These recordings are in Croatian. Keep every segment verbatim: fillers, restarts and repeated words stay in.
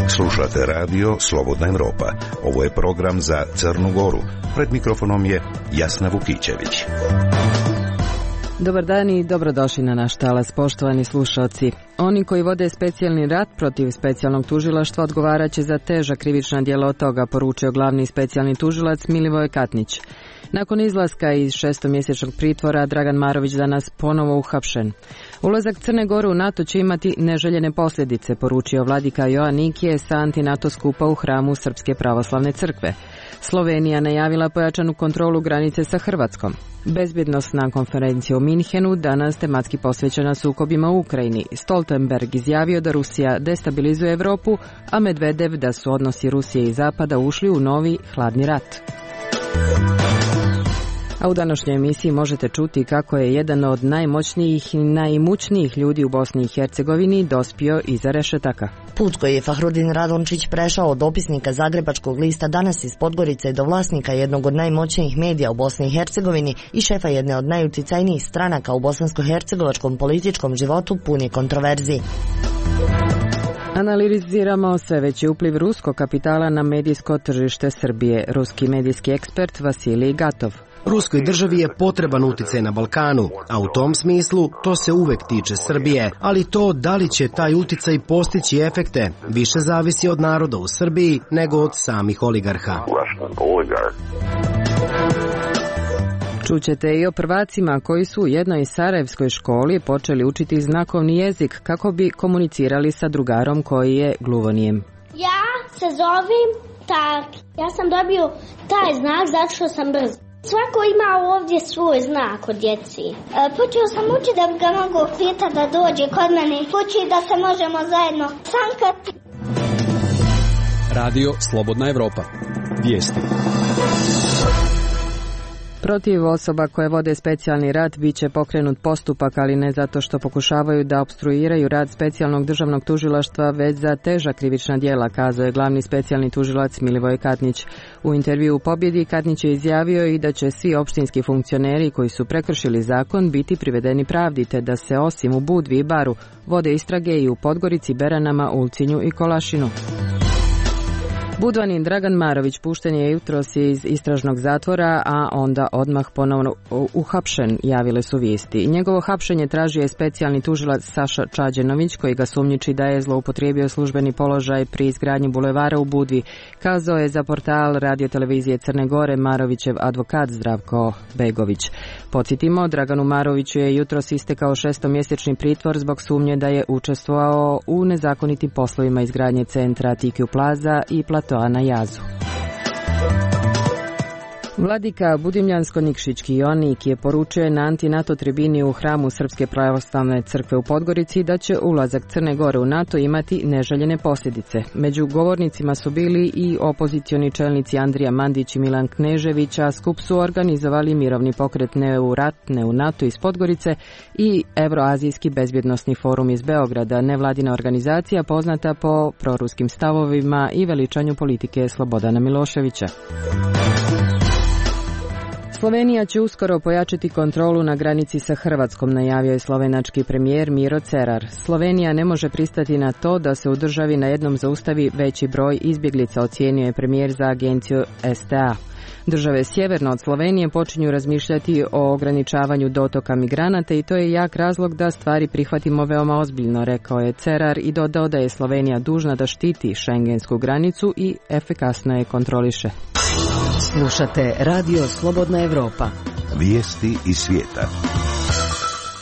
Slušate radio Slobodna Evropa. Ovo je program za Crnu Goru. Pred mikrofonom je Jasna Vukićević. Dobar dan i dobrodošli na naš talas, poštovani slušalci. Oni koji vode specijalni rat protiv specijalnog tužilaštva odgovarat će za teža krivična djela od toga, poručio glavni specijalni tužilac Milivoje Katnić. Nakon izlaska iz šestomjesečnog pritvora, Dragan Marović danas ponovo uhapšen. Ulazak Crne Gore u NATO će imati neželjene posljedice, poručio vladika Joanikije sa anti-NATO skupa u hramu Srpske pravoslavne crkve. Slovenija najavila pojačanu kontrolu granice sa Hrvatskom. Bezbjednosna konferencija u Minhenu danas tematski posvećena sukobima u Ukrajini. Stoltenberg izjavio da Rusija destabilizuje Europu, a Medvedev da su odnosi Rusije i Zapada ušli u novi hladni rat. A u današnjoj emisiji možete čuti kako je jedan od najmoćnijih i najimućnijih ljudi u Bosni i Hercegovini dospio iza rešetaka. Put koji je Fahrudin Radončić prešao od dopisnika Zagrebačkog lista Danas iz Podgorice do vlasnika jednog od najmoćnijih medija u Bosni i Hercegovini i šefa jedne od najuticajnijih stranaka u bosansko-hercegovačkom političkom životu pun je kontroverzi. Analiziramo sve veći upliv ruskog kapitala na medijsko tržište Srbije. Ruski medijski ekspert Vasilij Gatov. Ruskoj državi je potreban uticaj na Balkanu, a u tom smislu to se uvek tiče Srbije, ali to da li će taj uticaj postići efekte više zavisi od naroda u Srbiji nego od samih oligarha. Čućete i o prvacima koji su u jednoj sarajevskoj školi počeli učiti znakovni jezik kako bi komunicirali sa drugarom koji je gluvonijem. Ja se zovem tak. Ja sam dobio taj znak zato što sam brz. Svako ima ovdje svoj znak od djeci. E, počeo sam učiti da bi ga mogu pitati da dođe kod mene. Počeo da se možemo zajedno sankati. Radio Slobodna Evropa. Vijesti. Protiv osoba koje vode specijalni rat bit će pokrenut postupak, ali ne zato što pokušavaju da opstruiraju rad specijalnog državnog tužilaštva, već za teža krivična djela, kazao je glavni specijalni tužilac Milivoje Katnić. U intervju u Pobjedi Katnić je izjavio i da će svi opštinski funkcioneri koji su prekršili zakon biti privedeni pravdi, te da se osim u Budvi i Baru vode istrage i u Podgorici, Beranama, Ulcinju i Kolašinu. Budvanin Dragan Marović pušten je jutros iz istražnog zatvora, a onda odmah ponovno uhapšen, javile su vijesti. Njegovo hapšenje tražio je specijalni tužilac Saša Čađenović, koji ga sumnjiči da je zloupotrijebio službeni položaj pri izgradnji bulevara u Budvi, kazao je za portal radiotelevizije Crne Gore Marovićev advokat Zdravko Begović. Podsjetimo, Draganu Maroviću je jutros istekao šestomjesečni pritvor zbog sumnje da je učestvovao u nezakonitim poslovima izgradnje centra Tikiju Plaza i platoa na Jazu. Vladika Budimljansko-Nikšićki Joanik je poručio na anti-NATO tribini u hramu Srpske pravoslavne crkve u Podgorici da će ulazak Crne Gore u NATO imati neželjene posljedice. Među govornicima su bili i opozicioni čelnici Andrija Mandić i Milan Knežević, a skup su organizovali mirovni pokret Ne u rat, ne u NATO iz Podgorice i Evroazijski bezbjednosni forum iz Beograda, nevladina organizacija poznata po proruskim stavovima i veličanju politike Slobodana Miloševića. Slovenija će uskoro pojačati kontrolu na granici sa Hrvatskom, najavio je slovenački premijer Miro Cerar. Slovenija ne može pristati na to da se u državi na jednom zaustavi veći broj izbjeglica, ocijenio je premijer za agenciju S T A. Države sjeverno od Slovenije počinju razmišljati o ograničavanju dotoka migranata i to je jak razlog da stvari prihvatimo veoma ozbiljno, rekao je Cerar i dodao da je Slovenija dužna da štiti šengensku granicu i efikasno je kontroliše. Slušate Radio Slobodna Evropa. Vijesti iz svijeta.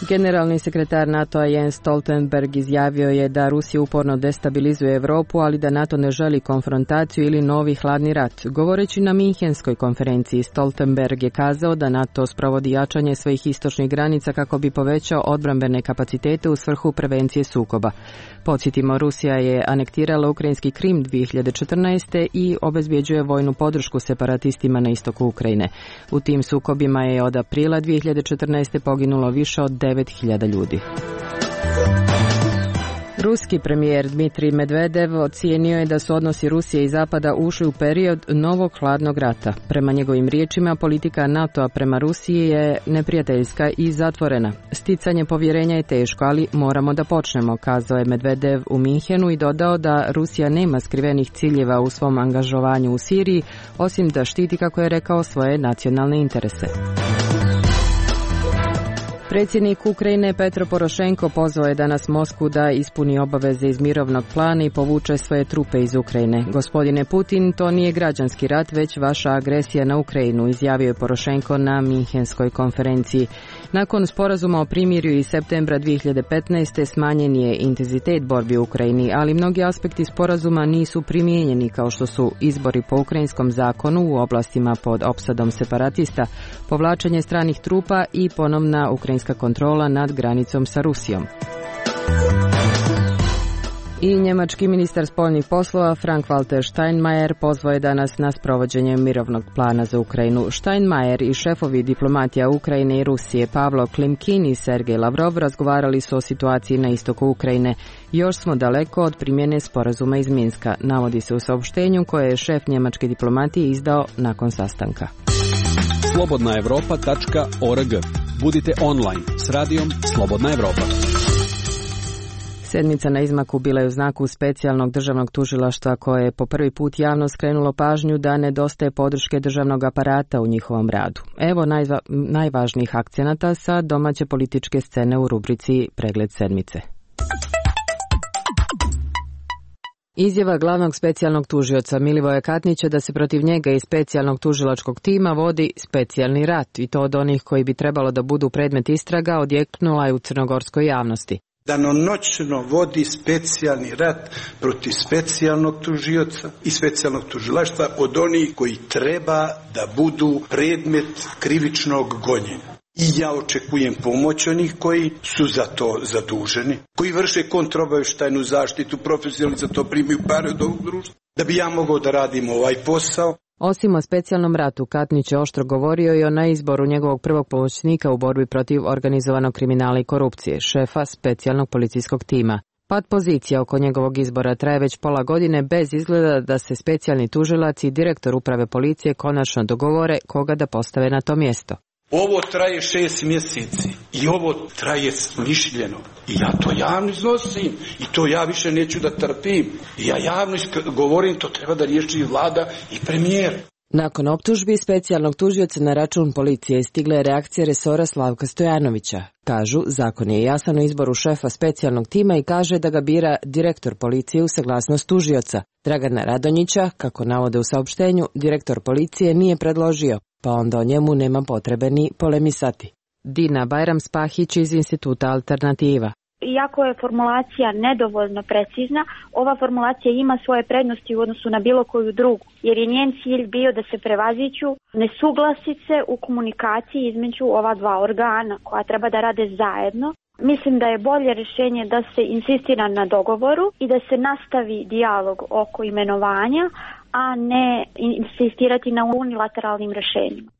Generalni sekretar NATO-a Jens Stoltenberg izjavio je da Rusija uporno destabilizuje Europu, ali da NATO ne želi konfrontaciju ili novi hladni rat. Govoreći na Minhenskoj konferenciji, Stoltenberg je kazao da NATO sprovodi jačanje svojih istočnih granica kako bi povećao odbrambene kapacitete u svrhu prevencije sukoba. Podsjetimo, Rusija je anektirala ukrajinski Krim dvije hiljade četrnaeste. i obezbjeđuje vojnu podršku separatistima na istoku Ukrajine. U tim sukobima je od aprila dvije hiljade četrnaeste. poginulo više od devet hiljada ljudi. Ruski premijer Dmitrij Medvedev ocijenio je da su odnosi Rusije i Zapada ušli u period novog hladnog rata. Prema njegovim riječima, politika NATO-a prema Rusiji je neprijateljska i zatvorena. Sticanje povjerenja je teško, ali moramo da počnemo, kazao je Medvedev u Minhenu i dodao da Rusija nema skrivenih ciljeva u svom angažovanju u Siriji, osim da štiti, kako je rekao, svoje nacionalne interese. Predsjednik Ukrajine Petro Porošenko pozvao je danas Moskvu da ispuni obaveze iz mirovnog plana i povuče svoje trupe iz Ukrajine. Gospodine Putin, to nije građanski rat, već vaša agresija na Ukrajinu, izjavio je Porošenko na Minhenskoj konferenciji. Nakon sporazuma o primirju iz septembra dvije hiljade petnaeste smanjen je intenzitet borbi u Ukrajini, ali mnogi aspekti sporazuma nisu primijenjeni, kao što su izbori po ukrajinskom zakonu u oblastima pod opsadom separatista, povlačenje stranih trupa i ponovna ukrajinska kontrola nad granicom sa Rusijom. I njemački ministar spoljnih poslova Frank-Walter Steinmeier pozvao je danas na sprovođenje mirovnog plana za Ukrajinu. Steinmeier i šefovi diplomatija Ukrajine i Rusije Pavlo Klimkin i Sergej Lavrov razgovarali su o situaciji na istoku Ukrajine. Još smo daleko od primjene sporazuma iz Minska, navodi se u saopštenju koje je šef njemačke diplomatije izdao nakon sastanka. slobodna europa tačka org. Budite online s radijom Slobodna Evropa. Sedmica na izmaku bila je u znaku specijalnog državnog tužilaštva koje je po prvi put javno skrenulo pažnju da nedostaje podrške državnog aparata u njihovom radu. Evo najva, najvažnijih akcenata sa domaće političke scene u rubrici Pregled sedmice. Izjava glavnog specijalnog tužioca Milivoja Katnića da se protiv njega i specijalnog tužilačkog tima vodi specijalni rat, i to od onih koji bi trebalo da budu predmet istraga, odjeknula je u crnogorskoj javnosti. Danonoćno vodi specijalni rat protiv specijalnog tužioca i specijalnog tužilaštva od onih koji treba da budu predmet krivičnog gonjenja. I ja očekujem pomoć onih koji su za to zaduženi, koji vrše kontraobavještajnu zaštitu, profesionalno za to primaju pare od ovog društva, da bi ja mogao da radim ovaj posao. Osim o specijalnom ratu, Katnić je oštro govorio i o neizboru njegovog prvog pomoćnika u borbi protiv organizovanog kriminala i korupcije, šefa specijalnog policijskog tima. Pad pozicija oko njegovog izbora traje već pola godine bez izgleda da se specijalni tužilac i direktor uprave policije konačno dogovore koga da postave na to mjesto. Ovo traje šest mjeseci i ovo traje smišljeno. I ja to javno iznosim i to ja više neću da trpim. I ja javno govorim, to treba da riješi vlada i premijer. Nakon optužbi specijalnog tužioca na račun policije stigla je reakcija resora Slavka Stojanovića. Kažu, zakon je jasan o izboru šefa specijalnog tima i kaže da ga bira direktor policije u saglasnost tužioca. Dragana Radonjića, kako navode u saopštenju, direktor policije nije predložio, pa onda o njemu nema potrebe ni polemisati. Dina Bajram-Spahić iz Instituta Alternativa. Iako je formulacija nedovoljno precizna, ova formulacija ima svoje prednosti u odnosu na bilo koju drugu, jer je njen cilj bio da se prevaziđu nesuglasice u komunikaciji između ova dva organa koja treba da rade zajedno. Mislim da je bolje rješenje da se insistira na dogovoru i da se nastavi dijalog oko imenovanja, a ne insistirati na unilateralnim rješenjima.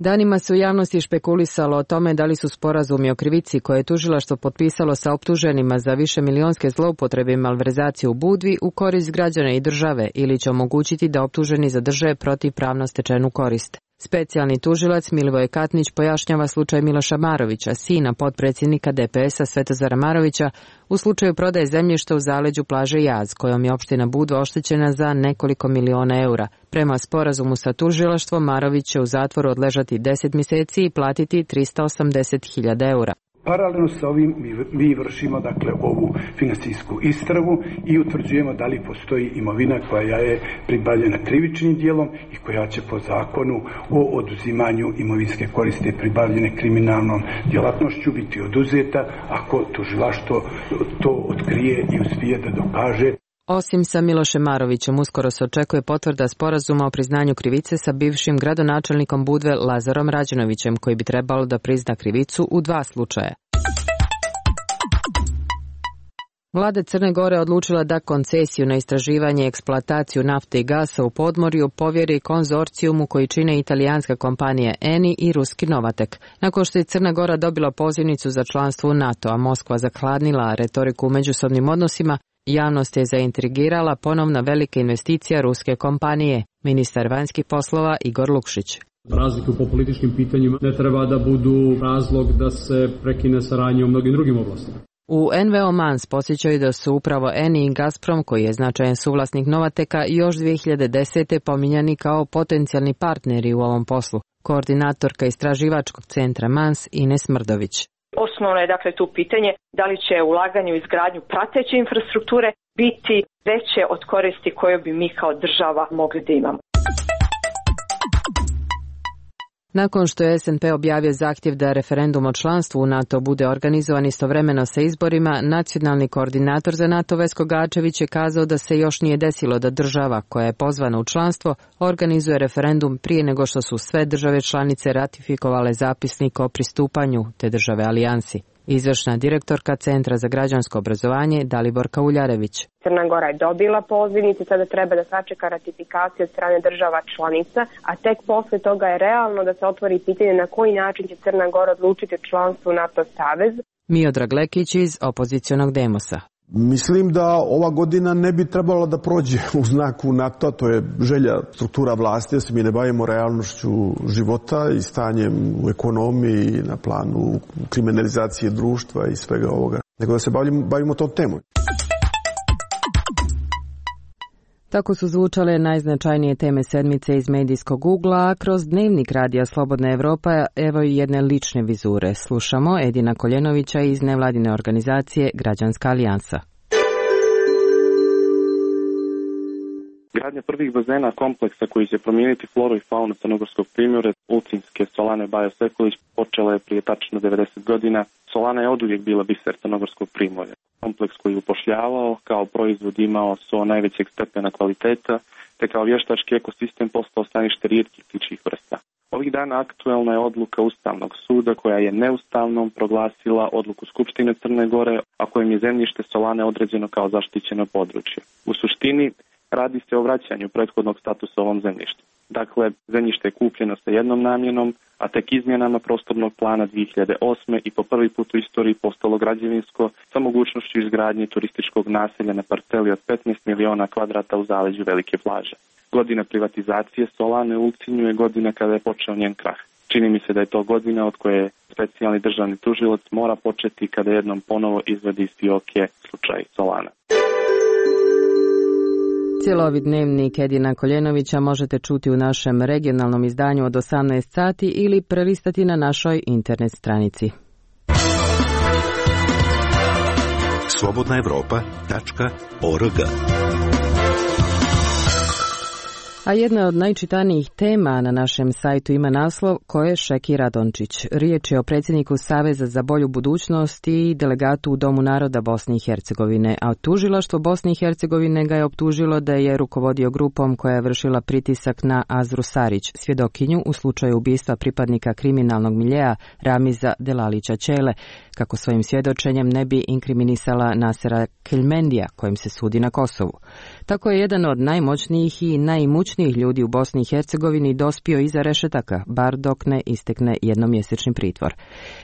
Danima se u javnosti špekulisalo o tome da li su sporazumi o krivici koje je tužilaštvo potpisalo sa optuženima za višemilionske zloupotrebe i malverzacije u Budvi u korist građana i države ili će omogućiti da optuženi zadrže protivpravno stečenu korist. Specijalni tužilac Milivoj Katnić pojašnjava slučaj Miloša Marovića, sina potpredsjednika D P S-a Svetozara Marovića, u slučaju prodaje zemljišta u zaleđu plaže Jaz, kojom je opština Budva oštećena za nekoliko miliona eura. Prema sporazumu sa tužilaštvom, Marović će u zatvoru odležati deset mjeseci i platiti tristo osamdeset hiljada eura. Paralelno sa ovim mi, mi vršimo dakle ovu finansijsku istragu i utvrđujemo da li postoji imovina koja je pribavljena krivičnim dijelom i koja će po zakonu o oduzimanju imovinske koristi pribavljene kriminalnom djelatnošću biti oduzeta ako tužilaštvo to otkrije i uspije da dokaže. Osim sa Milošem Marovićem, uskoro se očekuje potvrda sporazuma o priznanju krivice sa bivšim gradonačelnikom Budve Lazarom Rađenovićem, koji bi trebalo da prizna krivicu u dva slučaja. Vlada Crne Gore odlučila da koncesiju na istraživanje i eksploataciju nafte i gasa u podmorju povjeri konzorcijumu koji čine italijanska kompanija Eni i ruski Novatek. Nakon što je Crna Gora dobila pozivnicu za članstvo u NATO, a Moskva zahladnila retoriku u međusobnim odnosima, javnost je zaintrigirala ponovna velika investicija ruske kompanije, ministar vanjskih poslova Igor Lukšić. Razlike po političkim pitanjima ne treba da budu razlog da se prekine saradnja u mnogim drugim oblastima. U N V O Mans podsjećaju da su upravo Eni i Gazprom, koji je značajan suvlasnik Novateka, još dvije hiljade desete pominjani kao potencijalni partneri u ovom poslu. Koordinatorka istraživačkog centra Mans Ines Mrdović. Osnovno je dakle tu pitanje da li će ulaganje u izgradnju prateće infrastrukture biti veće od koristi koje bi mi kao država mogli da imamo. Nakon što je S N P objavio zahtjev da referendum o članstvu u NATO bude organizovan istovremeno sa izborima, nacionalni koordinator za NATO Vesko Gačević je kazao da se još nije desilo da država koja je pozvana u članstvo organizuje referendum prije nego što su sve države članice ratifikovale zapisnik o pristupanju te države alijansi. Izvršna direktorka Centra za građansko obrazovanje Daliborka Uljarević. Crna Gora je dobila pozivnicu, sada treba da sačeka ratifikaciju od strane država članica, a tek posle toga je realno da se otvori pitanje na koji način će Crna Gora odlučiti o članstvu u NATO savez. Miodrag Lekić iz opozicionog Demosa. Mislim da ova godina ne bi trebala da prođe u znaku NATO, to je želja struktura vlasti, da se mi ne bavimo realnošću života i stanjem u ekonomiji, na planu kriminalizacije društva i svega ovoga, nego da se bavimo, bavimo tom temom. Tako su zvučale najznačajnije teme sedmice iz medijskog ugla, a kroz dnevnik radija Slobodna Evropa evo i jedne lične vizure. Slušamo Edina Koljenovića iz nevladine organizacije Građanska alijansa. Gradnja prvih bazena kompleksa koji će promijeniti floru i faunu Crnogorskog primorja, Ulcinske Solane Bajo Sekulić, počela je prije tačno devedeset godina. Solana je oduvijek bila biser Crnogorskog primorja. Kompleks koji je upošljavao, kao proizvod imao so najvećeg stepena kvaliteta, te kao vještački ekosistem postao stanište rijetkih ptičjih vrsta. Ovih dana aktuelna je odluka Ustavnog suda koja je neustavnom proglasila odluku Skupštine Crne Gore, a kojim je zemljište Solane određeno kao zaštićeno područje. U suštini, radi se o vraćanju prethodnog statusa ovom zemljištu. Dakle, zemljište je kupljeno sa jednom namjenom, a tek izmjenama prostornog plana dvije hiljade osme i po prvi put u istoriji postalo građevinsko sa mogućnošću izgradnje turističkog naselja na parceli od petnaest miliona kvadrata u zaleđu Velike plaže. Godina privatizacije Solane u Ulcinju je godina kada je počeo njen krah. Čini mi se da je to godina od koje specijalni državni tužilac mora početi kada jednom ponovo izvadi iz fioke slučaj Solana. Cijelovi dnevnik Edina Koljenovića možete čuti u našem regionalnom izdanju od osamnaest sati ili prelistati na našoj internet stranici. slobodna evropa tačka org. A jedna od najčitanijih tema na našem sajtu ima naslov Ko je Šeki Radončić. Riječ je o predsjedniku Saveza za bolju budućnost i delegatu u Domu naroda Bosne i Hercegovine, a tužilaštvo Bosne i Hercegovine ga je optužilo da je rukovodio grupom koja je vršila pritisak na Azru Sarić, svjedokinju u slučaju ubistva pripadnika kriminalnog miljeja Ramiza Delalića Ćele, kako svojim svjedočenjem ne bi inkriminisala Nasera Kelmendija, kojim se sudi na Kosovu. Tako je jedan od najmoćnijih i najimućnijih ljudi u Bosni i Hercegovini dospio iza rešetaka, bar dok ne istekne jednomjesečni pritvor.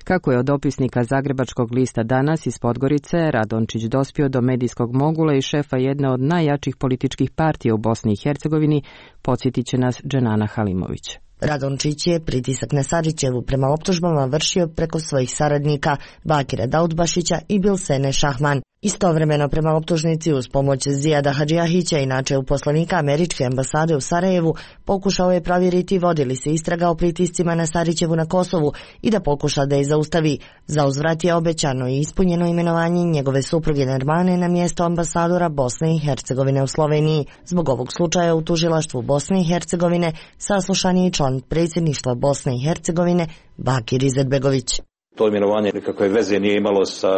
Kako je od dopisnika Zagrebačkog lista Danas iz Podgorice Radončić dospio do medijskog mogula i šefa jedne od najjačih političkih partija u Bosni i Hercegovini, podsjetit će nas Dženana Halimović. Radončić je pritisak na Sarićevu prema optužbama vršio preko svojih saradnika Bakira Daudbašića i Bilsene Šahman. Istovremeno prema optužnici uz pomoć Zijada Hadžijahića, inače uposlenika američke ambasade u Sarajevu, pokušao je provjeriti vodi li se istraga o pritiscima na Sarićevu na Kosovu i da pokuša da je zaustavi. Za uzvrat je obećano i ispunjeno imenovanje njegove supruge Nermane na mjesto ambasadora Bosne i Hercegovine u Sloveniji. Zbog ovog slučaja u tužilaštvu Bosne i Hercegovine saslušan je i član predsjedništva Bosne i Hercegovine Bakir Izetbegović. To imenovanje nikakve veze nije imalo sa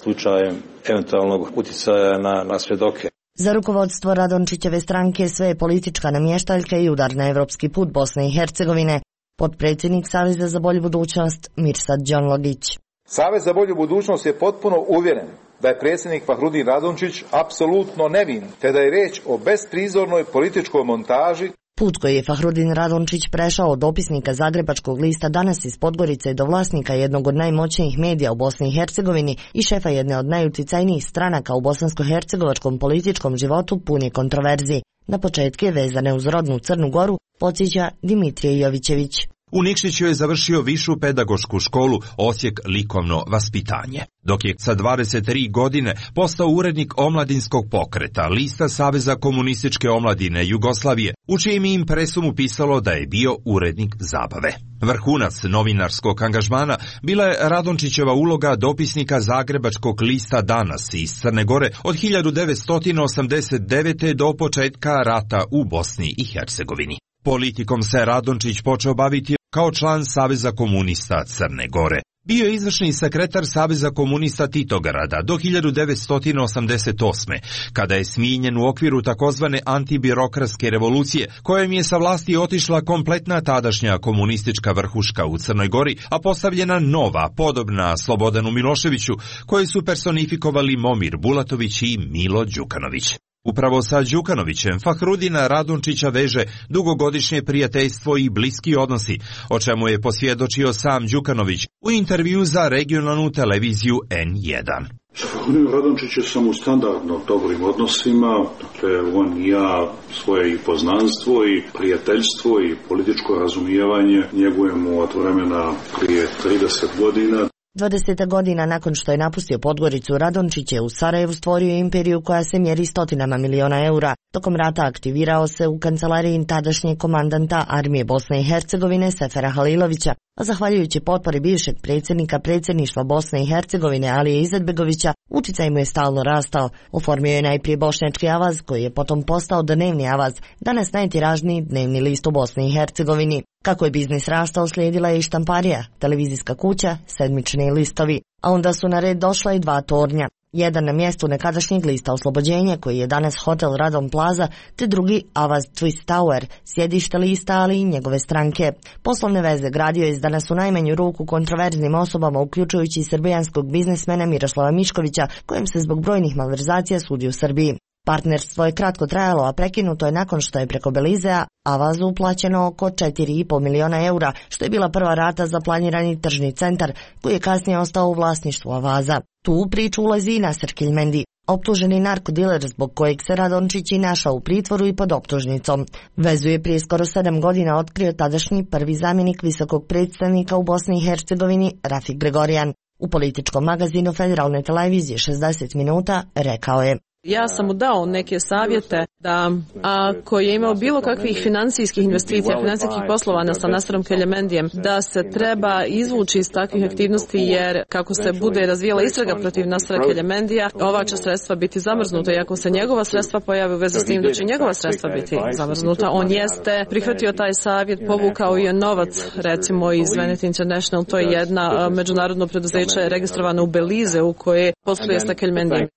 slučajem eventualnog utjecaja na, na svjedoke. Za rukovodstvo Radončićeve stranke sve je politička namještaljka i udar na evropski put Bosne i Hercegovine. Potpredsjednik Saveza za bolju budućnost Mirsad Đonlogić. Savez za bolju budućnost je potpuno uvjeren da je predsjednik Fahrudin Radončić apsolutno nevin, te da je riječ o besprizornoj političkoj montaži. Put koji je Fahrudin Radončić prešao od dopisnika zagrebačkog lista Danas iz Podgorice do vlasnika jednog od najmoćnijih medija u Bosni i Hercegovini i šefa jedne od najuticajnijih stranaka u bosansko-hercegovačkom političkom životu pun je kontroverzi. Na početke vezane uz rodnu Crnu Goru podsjeća Dimitrije Jovićević. U Nikšiću je završio višu pedagošku školu Osijek likovno vaspitanje, dok je sa dvadeset tri godine postao urednik omladinskog pokreta Lista Saveza komunističke omladine Jugoslavije, u čijem impresu mu pisalo da je bio urednik zabave. Vrhunac novinarskog angažmana bila je Radončićeva uloga dopisnika zagrebačkog lista Danas iz Crne Gore od hiljadu devetsto osamdeset devete. do početka rata u Bosni i Hercegovini. Politikom se Radončić počeo baviti kao član Saveza komunista Crne Gore. Bio je izvršni sekretar Saveza komunista Titograda do hiljadu devetsto osamdeset osme. kada je smijenjen u okviru takozvane antibirokratske revolucije, kojom je sa vlasti otišla kompletna tadašnja komunistička vrhuška u Crnoj Gori, a postavljena nova, podobna Slobodanu Miloševiću, koje su personifikovali Momir Bulatović i Milo Đukanović. Upravo sa Đukanovićem Fahrudina Radončića veže dugogodišnje prijateljstvo i bliski odnosi, o čemu je posvjedočio sam Đukanović u intervju za regionalnu televiziju en jedan. Sa Fahrudinom Radončićem sam u standardno dobrim odnosima, dakle on i ja svoje i poznanstvo i prijateljstvo i političko razumijevanje njegujemo od vremena prije trideset godina. dvadeset godina nakon što je napustio Podgoricu, Radončić je u Sarajevu stvorio imperiju koja se mjeri stotinama miliona eura. Tokom rata aktivirao se u kancelariji tadašnjeg komandanta armije Bosne i Hercegovine Sefera Halilovića, a zahvaljujući potpori bivšeg predsjednika predsjedništva Bosne i Hercegovine Alije Izetbegovića, uticaj mu je stalno rastao. Oformio je najprije Bošnjački avaz, koji je potom postao Dnevni avaz, danas najtiražniji dnevni list u Bosni i Hercegovini. Kako je biznis rastao, slijedila je i štamparija, televizijska kuća, sedmični listovi, a onda su na red došla i dva tornja. Jedan na mjestu nekadašnjeg lista Oslobođenje, koji je danas hotel Radom Plaza, te drugi Avaz Twist Tower, sjedište lista, ali i njegove stranke. Poslovne veze gradio je s danas u najmanju ruku kontroverznim osobama, uključujući i srbijanskog biznismena Miroslava Miškovića, kojem se zbog brojnih malverzacija sudi u Srbiji. Partnerstvo je kratko trajalo, a prekinuto je nakon što je preko Belizea Avazu uplaćeno oko četiri i po miliona eura, što je bila prva rata za planirani tržni centar, koji je kasnije ostao u vlasništvu Avaza. Tu u priču ulazi i Nasser Kilmendi, optuženi narkodiler zbog kojeg se Radončić i našao u pritvoru i pod optužnicom. Vezu je prije skoro sedam godina otkrio tadašnji prvi zamjenik visokog predstavnika u Bosni i Hercegovini Rafik Gregorijan. U političkom magazinu Federalne televizije šezdeset minuta rekao je: Ja sam mu dao neke savjete da ako je imao bilo kakvih financijskih investicija, financijskih poslovanja sa Nasserom Keljemendijem, da se treba izvući iz takvih aktivnosti, jer kako se bude razvijala istraga protiv Nassera Keljemendija, ova će sredstva biti zamrznuta, i ako se njegova sredstva pojave u vezi s tim, da će njegova sredstva biti zamrznuta. On jeste prihvatio taj savjet, povukao je novac, recimo iz Vanity International, to je jedna međunarodno preduzeće registrovano u Belize u koje posluje sa Keljmendijem.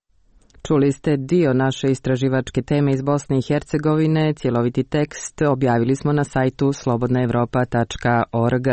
Čuli ste dio naše istraživačke teme iz Bosne i Hercegovine, cjeloviti tekst objavili smo na sajtu slobodna europa tačka org.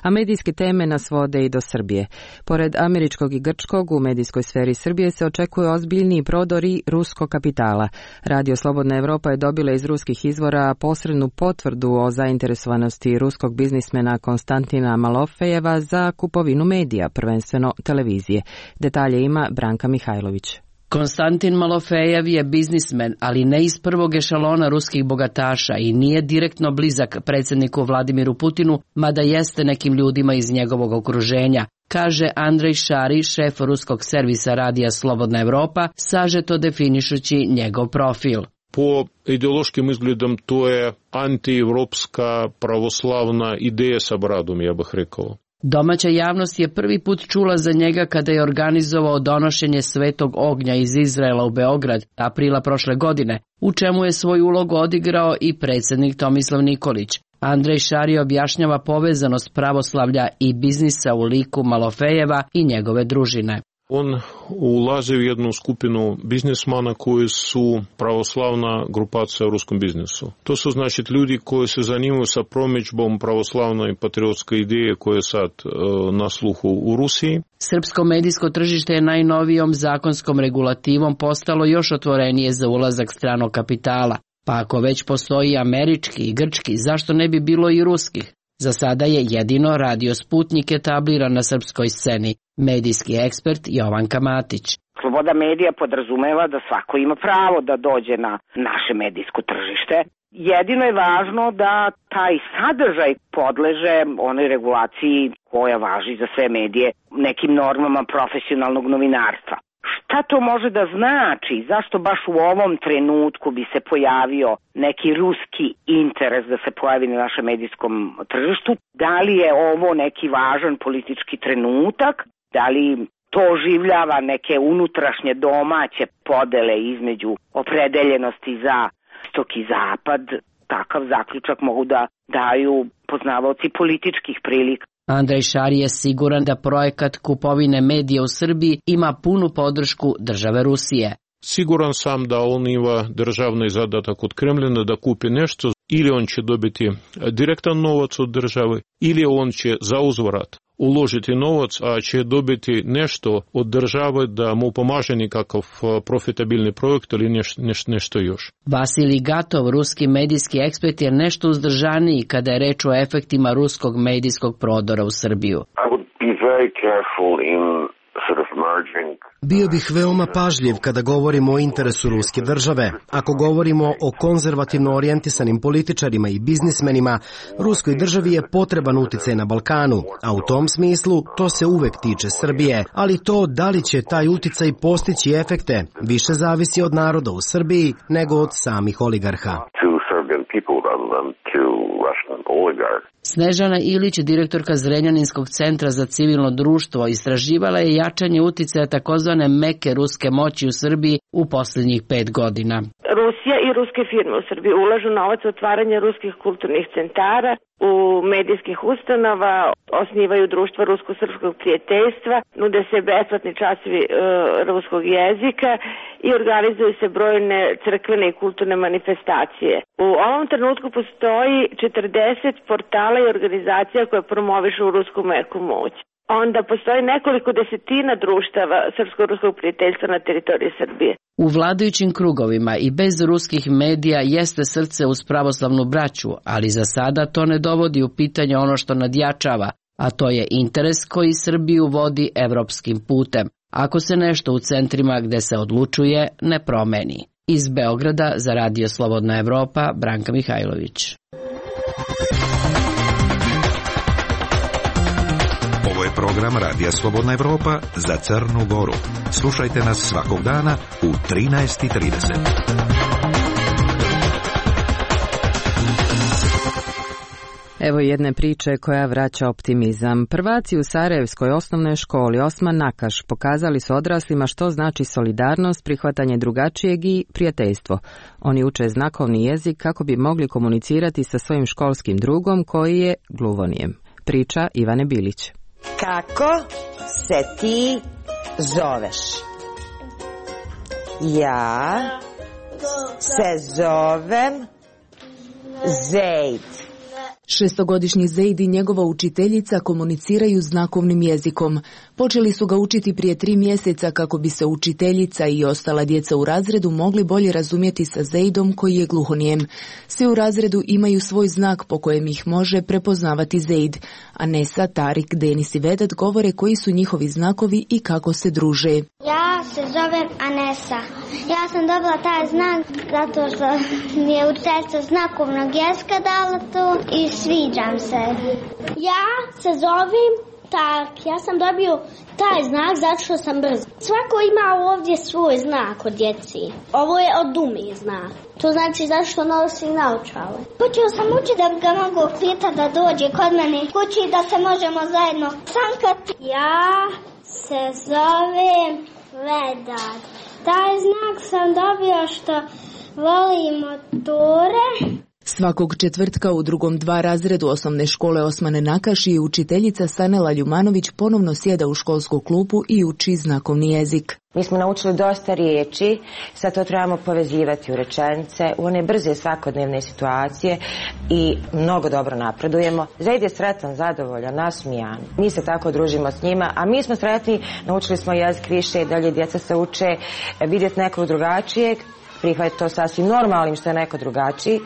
A medijske teme nas vode i do Srbije. Pored američkog i grčkog, u medijskoj sferi Srbije se očekuje ozbiljniji prodori ruskog kapitala. Radio Slobodna Europa je dobila iz ruskih izvora posrednu potvrdu o zainteresovanosti ruskog biznismena Konstantina Malofejeva za kupovinu medija, prvenstveno televizije. Detalje ima Branka Mihajlović. Konstantin Malofejev je biznismen, ali ne iz prvog ešalona ruskih bogataša i nije direktno blizak predsjedniku Vladimiru Putinu, mada jeste nekim ljudima iz njegovog okruženja, kaže Andrej Šari, šef ruskog servisa radija Slobodna Evropa, sažeto definišući njegov profil. Po ideološkim izgledom to je antievropska pravoslavna ideja sa bradom, ja bih rekao. Domaća javnost je prvi put čula za njega kada je organizovao donošenje Svetog ognja iz Izraela u Beograd aprila prošle godine, u čemu je svoj ulog odigrao i predsjednik Tomislav Nikolić. Andrej Šari objašnjava povezanost pravoslavlja i biznisa u liku Malofejeva i njegove družine. On ulazi u jednu skupinu biznismana koji su pravoslavna grupacija u ruskom biznisu. To su znači ljudi koji se zanimaju sa promidžbom pravoslavne i patriotske ideje koje je sad e, na sluhu u Rusiji. Srpsko medijsko tržište je najnovijom zakonskom regulativom postalo još otvorenije za ulazak stranog kapitala. Pa ako već postoji američki i grčki, zašto ne bi bilo i ruskih? Za sada je jedino Radio Sputnik etabliran na srpskoj sceni. Medijski ekspert Jovanka Matić. Sloboda medija podrazumeva da svako ima pravo da dođe na naše medijsko tržište. Jedino je važno da taj sadržaj podleže onoj regulaciji koja važi za sve medije, nekim normama profesionalnog novinarstva. Šta to može da znači? Zašto baš u ovom trenutku bi se pojavio neki ruski interes da se pojavi na našem medijskom tržištu? Da li je ovo neki važan politički trenutak? Da li to oživljava neke unutrašnje domaće podele između opredeljenosti za istok i zapad? Takav zaključak mogu da daju poznavaoci političkih prilika. Andrej Šar je siguran da projekat kupovine medija u Srbiji ima punu podršku države Rusije. Siguran sam da on ima državni zadatak od Kremljina da kupi nešto, ili on će dobiti direktan novac od države, ili on će za uzvrat uložiti novac, a će dobiti nešto od države da mu pomaže nekakav profitabilni projekt ili neš, neš, nešto još. Vasilij Gatov, ruski medijski ekspert, je nešto uzdržaniji kada je reč o efektima ruskog medijskog prodora u Srbiju. I would be very careful in sort of merging. Bio bih veoma pažljiv kada govorimo o interesu ruske države. Ako govorimo o konzervativno orijentisanim političarima i biznismenima, ruskoj državi je potreban uticaj na Balkanu, a u tom smislu to se uvek tiče Srbije. Ali to da li će taj uticaj postići efekte više zavisi od naroda u Srbiji nego od samih oligarha. Snežana Ilić, direktorka Zrenjaninskog centra za civilno društvo, istraživala je jačanje uticaja takozvane meke ruske moći u Srbiji u posljednjih pet godina. Rusija i ruske firme u Srbiji ulažu novac u otvaranje ruskih kulturnih centara, u medijskih ustanova, osnivaju društva rusko-srpskog prijateljstva, nude se besplatni časovi e, ruskog jezika i organizuju se brojne crkvene i kulturne manifestacije. U ovom trenutku postoji četrdeset portala i organizacija koje promovišu rusku meku moć. Onda postoji nekoliko desetina društava srpsko-ruskog prijateljstva na teritoriji Srbije. U vladajućim krugovima i bez ruskih medija jeste srce uz pravoslavnu braću, ali za sada to ne dovodi u pitanje ono što nadjačava, a to je interes koji Srbiju vodi evropskim putem, ako se nešto u centrima gde se odlučuje ne promeni. Iz Beograda za Radio Slobodna Evropa, Branka Mihajlović. Ovo je program Radija Slobodna Evropa za Crnu Goru. Slušajte nas svakog dana u trinaest i trideset. Evo jedne priče koja vraća optimizam. Prvaci u Sarajevskoj osnovnoj školi Osman Nakaš pokazali su odraslima što znači solidarnost, prihvatanje drugačijeg i prijateljstvo. Oni uče znakovni jezik kako bi mogli komunicirati sa svojim školskim drugom koji je gluvonijem. Priča Ivane Bilić. Kako se ti zoveš? Ja se zovem Zejd. Šestogodišnji Zejd i njegova učiteljica komuniciraju znakovnim jezikom. Počeli su ga učiti prije tri mjeseca kako bi se učiteljica i ostala djeca u razredu mogli bolje razumjeti sa Zejdom koji je gluhonijem. Svi u razredu imaju svoj znak po kojem ih može prepoznavati Zejd. Anesa, Tarik, Denis i Vedat govore koji su njihovi znakovi i kako se druže. Ja se zovem Anesa. Ja sam dobila taj znak zato što mi je učiteljica znakovnog jezika dala to i sviđam se. Ja se zovem Tak. Ja sam dobio taj znak zato što sam brz. Svako ima ovdje svoj znak od djeci. Ovo je od Dumi znak. To znači zato što nosi naočale. Počeo sam učiti da ga mogu pitati da dođe kod mene kući da se možemo zajedno sankati. Ja se zovem Vedat. Taj znak sam dobio što volim moture Svakog četvrtka u drugom dva razredu osnovne škole Osmane Nakaši učiteljica Sanela Ljumanović ponovno sjeda u školsku klupu i uči znakovni jezik. Mi smo naučili dosta riječi, sad to trebamo povezivati u rečenice, u one brze svakodnevne situacije i mnogo dobro napredujemo. Zaid je sretan, zadovoljan, nasmijan. Mi se tako družimo s njima, a mi smo sretni, naučili smo jezik više, dalje djeca se uče vidjeti nekog drugačijeg, prihvatiti to sasvim normalnim što je neko drugačiji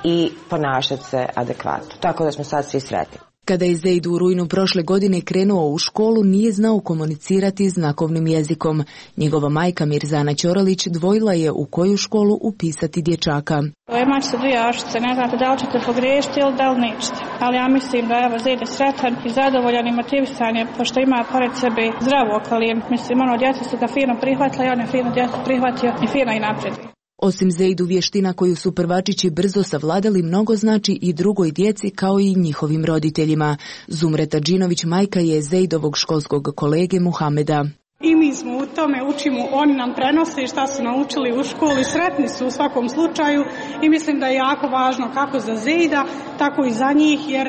i ponašati se adekvatno. Tako da smo sad svi sretni. Kada je Zaid u rujnu prošle godine krenuo u školu, nije znao komunicirati znakovnim jezikom. Njegova majka Mirzana Ćoralić dvojila je u koju školu upisati dječaka. Imate se dvije ašice, ne znate da li ćete pogriješiti ili da li nećete. Ali ja mislim da evo Zaid je sretan i zadovoljan i motivisan je, pošto ima pored sebe zdravu okolinu. Mislim, ono, djeca su ga fino prihvatila i on je fino djecu prihvatio i fino i napred. Osim Zaidu vještina koju su prvačići brzo savladali, mnogo znači i drugoj djeci kao i njihovim roditeljima. Zumreta Džinović majka je Zaidovog školskog kolege Muhameda. I mi smo u tome, učimo, oni nam prenose šta su naučili u školi, sretni su u svakom slučaju i mislim da je jako važno kako za Zaida, tako i za njih, jer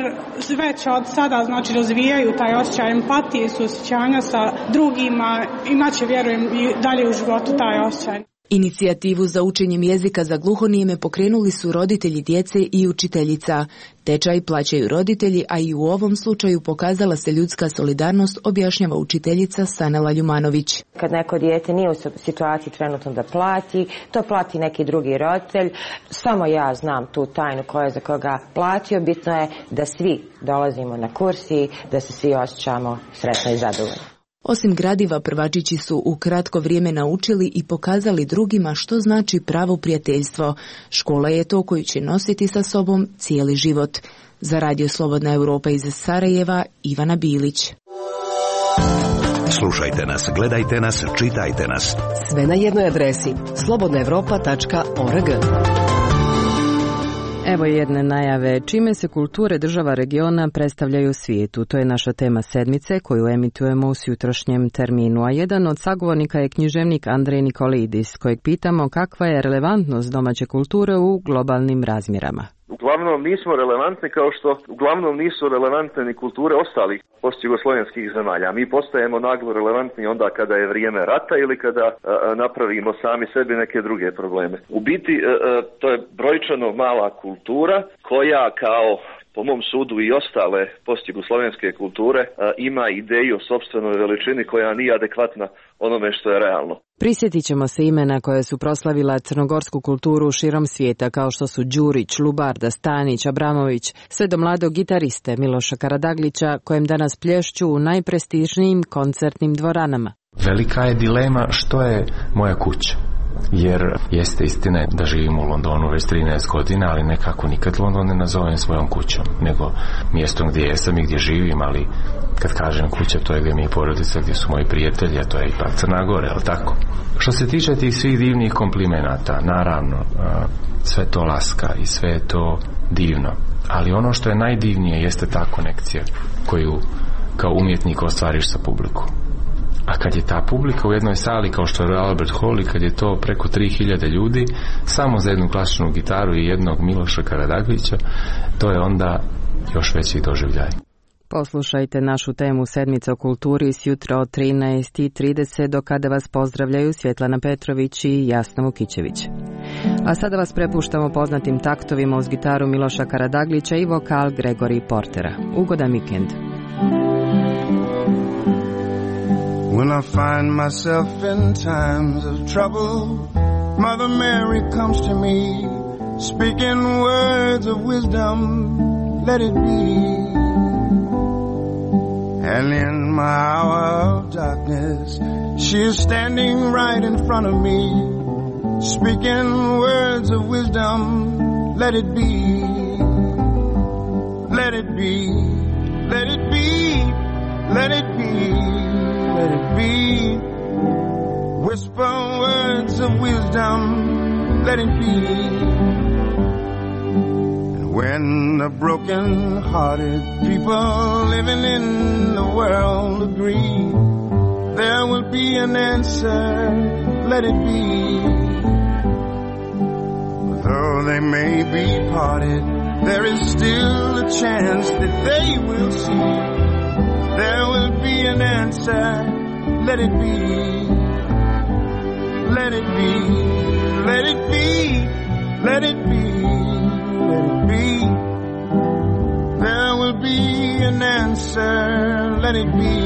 već od sada znači razvijaju taj osjećaj empatije i suosjećanja sa drugima, inače vjerujem i dalje u životu taj osjećaj. Inicijativu za učenjem jezika za gluhonijeme pokrenuli su roditelji djece i učiteljica. Tečaj plaćaju roditelji, a i u ovom slučaju pokazala se ljudska solidarnost, objašnjava učiteljica Sanela Ljumanović. Kad neko dijete nije u situaciji trenutno da plati, to plati neki drugi roditelj. Samo ja znam tu tajnu koja je za koga platio. Bitno je da svi dolazimo na kursi, da se svi osjećamo sretno i zadovoljni. Osim gradiva, prvačići su u kratko vrijeme naučili i pokazali drugima što znači pravo prijateljstvo. Škola je to koju će nositi sa sobom cijeli život. Za Radio Slobodna Europa iz Sarajeva, Ivana Bilić. Slušajte nas, gledajte nas, čitajte nas. Sve na jednoj adresi slobodna europa tačka org. Evo jedne najave čime se kulture država regiona predstavljaju svijetu. To je naša tema sedmice koju emitujemo u jutrošnjem terminu. A jedan od sagovornika je književnik Andrej Nikolidis, kojeg pitamo kakva je relevantnost domaće kulture u globalnim razmjerama. Uglavnom nismo relevantni kao što uglavnom nisu relevantne ni kulture ostalih postjugoslovenskih zemalja. Mi postajemo naglo relevantni onda kada je vrijeme rata ili kada a, a, napravimo sami sebi neke druge probleme. U biti a, a, to je brojčano mala kultura koja kao po mom sudu i ostale postjugoslovenske kulture a, ima ideju o sopstvenoj veličini koja nije adekvatna onome što je realno. Prisjetit ćemo se imena koje su proslavila crnogorsku kulturu širom svijeta, kao što su Đurić, Lubarda, Stanić, Abramović, sve do mladog gitariste Miloša Karadaglića, kojem danas plješću u najprestižnijim koncertnim dvoranama. Velika je dilema što je moja kuća. Jer jeste istina da živim u Londonu već trinaest godina, ali nekako nikad London ne nazovem svojom kućom, nego mjestom gdje jesam i gdje živim, ali kad kažem kuća, to je gdje mi je porodica, gdje su moji prijatelji, a to je ipak Crna Gora, je li tako? Što se tiče tih svih divnih komplimenata, naravno, sve to laska i sve je to divno, ali ono što je najdivnije jeste ta konekcija koju kao umjetnik ostvariš sa publikom. A kad je ta publika u jednoj sali kao što je Albert Hall i kad je to preko tri hiljade ljudi samo za jednu klasičnu gitaru i jednog Miloša Karadaglića, to je onda još veći doživljaj. Poslušajte našu temu Sedmica o kulturi s jutra od trinaest i trideset, do kada vas pozdravljaju Svjetlana Petrović i Jasna Vukićević. A sada vas prepuštamo poznatim taktovima uz gitaru Miloša Karadaglića i vokal Gregori Portera. Ugodan vikend. When I find myself in times of trouble, Mother Mary comes to me, speaking words of wisdom, let it be. And in my hour of darkness, she is standing right in front of me, speaking words of wisdom, let it be. Let it be, let it be, let it be. Let it be. Whisper words of wisdom, let it be. And when the broken-hearted people living in the world agree, there will be an answer, let it be. Though they may be parted, there is still a chance that they will see. There will be an answer. Let it be. Let it be. Let it be. Let it be. Let it be. There will be an answer. Let it be.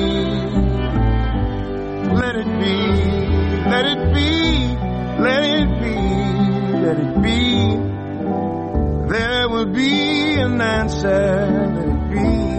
Let it be. Let it be. Let it be. Let it be. There will be an answer. Let it be.